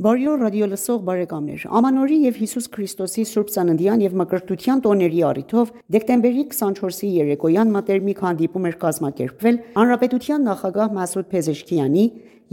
Բարի օր ռադիոլսող բարեկամներ, Ամանորի և Հիսուս Քրիստոսի Սուրբ Ծննդյան և Մկրտության տոների առիթով դեկտեմբերի 24-ի երեկոյան մտերմիկ հանդիպում էր կազմակերպվել Հանրապետության նախագահ Մասուդ Փեզեշքիանի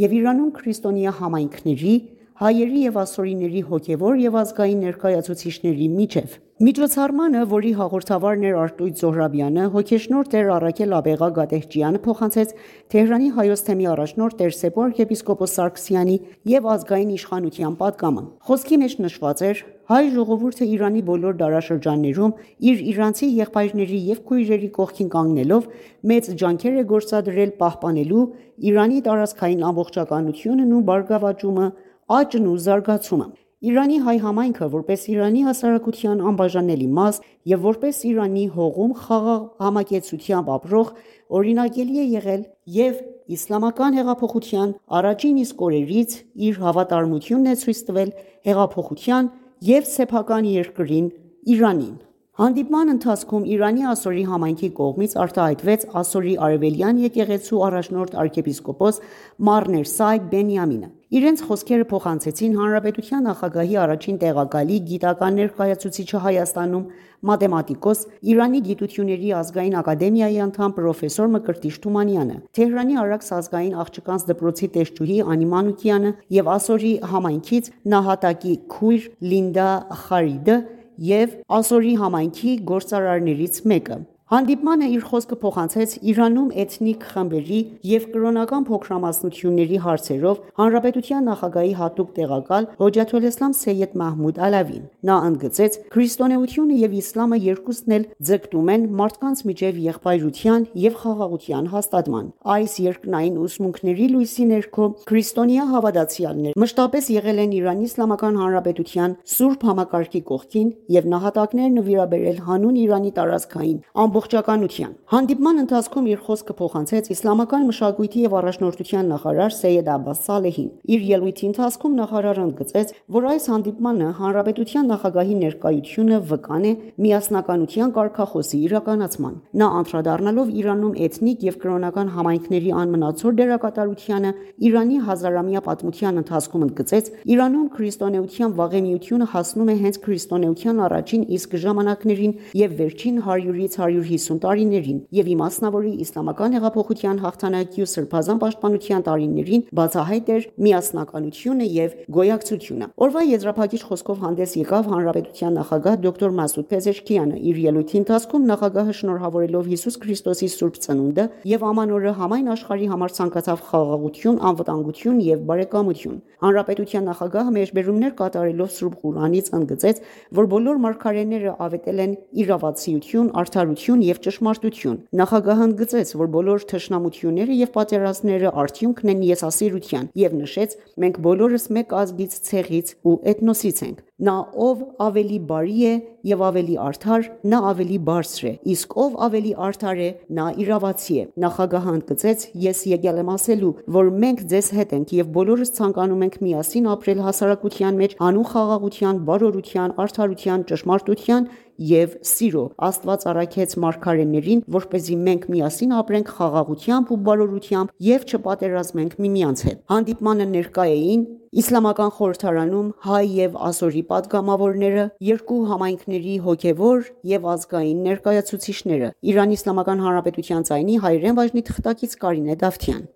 և Իրանում քրիստոնյա համայնքների, հայերի և ասորիների հոգևոր և ազգային ներկայացուցիչների միջև։ Միջոցառմանը, որի հաղորդավարն էր Արտույտ Զոհրաբյանը, հոգեշնորհ Տեր Առաքել Աբեղա Գատեհճյանը փոխանցեց Թեհրանի Հայոց թեմի առաջնորդ Տեր Սեփո arczepiskopos Սարգսյանի և ազգային իշխանության պատգամը։ Խոսքի մեջ նշված էր. հայ ժողովուրդը Իրանի բոլոր դարաշրջաններում իր իրանցի եղբայրների և քույրերի կողքին կանգնելով մեծ ջանքեր է գործադրել պահպանելու Իրանի տարածքային ամբողջականությունն ու բարգավաճումը, աճն ու զարգացումը։ Իրանի հայ համայնքը, որպես Իրանի հասարակության անբաժանելի մաս և որպես Իրանի հողում խաղաղ համակեցությամբ ապրող, օրինակելի է եղել և Իսլամական հեղափոխության առաջին իսկ օրերից իր հավատարմությունն է ցույց տվել հեղափոխության և սեփական երկրին՝ Իրանին։ Հանդիպման ընթացքում Իրանի ասորի համայնքի կողմից արտահայտվեց ասորի արևելյան եկեղեցու առաջնորդ arczepiskopos Մառ Ներսայ Բենյամինը։ Իրենց խոսքերը փոխանցեցին հանրապետության նախագահի առաջին տեղակալի, գիտական ներկայացուցիչը Հայաստանում, մաթեմատիկոս, Իրանի գիտությունների ազգային ակադեմիայի անդամ պրոֆեսոր Մկրտիչ Թումանյանը, Թեհրանի Արաքս ազգային աղջկանց դպրոցի տեսչուհի Անի Մանուկյանը և ասորի համայնքից նահատակի քույր Լինդա Խարիդը և ասորի համայնքի գործարարներից մեկը։ Հանդիպմանը իր խոսքը փոխանցեց Իրանում էթնիկ խմբերի և կրոնական փոքրամասնությունների հարցերով հանրապետության նախագահի հատուկ տեղակալ Հոջաթոլէսլամ Սեյեդ Մահմուդ Ալավին։ Նա ընդգծեց. քրիստոնեությունը և իսլամը երկուսն էլ ձգտում են մարդկանց միջև եղբայրության և խաղաղության հաստատման։ Այս երկնային ուսմունքների լույսի ներքո քրիստոնյա հավատացյալներ մշտապես եղել են Իրանի Իսլամական Հանրապետության սուրբ համակարգի կողքին և նահատակներ նվիրաբերել հանուն Իրանի տարածքային ամբողջականության։ Հանդիպման ընթացքում իր խոսքը փոխանցեց իսլամական մշակույթի և առաջնորդության նախարար Սեյեդ Աբբաս Սալեհին։ Իր ելույթի ընթացքում նախարարը ընդգծեց, որ այս հանդիպմանը հանրապետության նախագահի ներկայությունը վկան է միասնականության կարգախոսի իրականացման։ Նա անդրադառնալով Իրանում էթնիկ և կրոնական համայնքների անմնացոր դերակատարությանը Իրանի հազարամյա պատմության ընթացքում ընդգծեց. Իրանում քրիստոնեության վաղեմիությունը հասնում է հենց քրիստոնեության առաջին իսկ ժամանակներին և վերջին 100-ից 150 տարիներին և իմասնավորի Իսլամական հեղափոխության հաղթանակի ու սրբազան պաշտպանության տարիներին բացահայտ էր միասնականությունը և գոյակցությունը։ Օրվա եզրափակիչ խոսքով հանդես եկավ հանրապետության նախագահ դոկտոր Մասուդ Փեզեշքիանը։ Իր ելույթի ընթացքում նախագահը շնորհավորելով Հիսուս Քրիստոսի Սուրբ Ծնունդը և Ամանորը համայն աշխարհի համար ցանկացավ խաղաղություն, անվտանգություն և բարեկամություն։ Հանրապետության նախագահը մեջբերումներ կատարելով Սուրբ Ղուրանից ընդգծեց, որ բոլոր մարգարեները ավետել են իրավացիություն, արդարություն և ճշմարտություն։ Նախագահը ընդգծեց, որ բոլոր թշնամությունները և պատերազմները արդյունքն են եսասիրության և նշեց. մենք բոլորս մեկ ազգից, ցեղից ու էթնոսից ենք։ Նա ով ավելի բարի է և ավելի արդար, նա ավելի բարձր է, իսկ ով ավելի արդար է, նա իրավացի է։ Նախագահը ընդգծեց. ես եկել եմ ասելու, որ մենք ձեզ հետ ենք և բոլորս ցանկանում ենք միասին ապրել հասարակության մեջ հանուն խաղաղության, բարօրության, արդարության, ճշմարտության և սիրո։ Աստված առաքեց մարգարեներին, որպեսզի մենք միասին ապրենք խաղաղությամբ ու բարօրությամբ և չպատերազմենք միմյանց հետ։ Հանդիպմանը ներկա էին Իսլամական խորհրդարանում հայ և ասորի պատգամավորները, երկու համայնքների հոգևոր և ազգային ներկայացուցիչները։ Իրանի Իսլամական Հանրապետության ձայնի հայերեն բաժնի թղթակից Կարինե Դավթյան։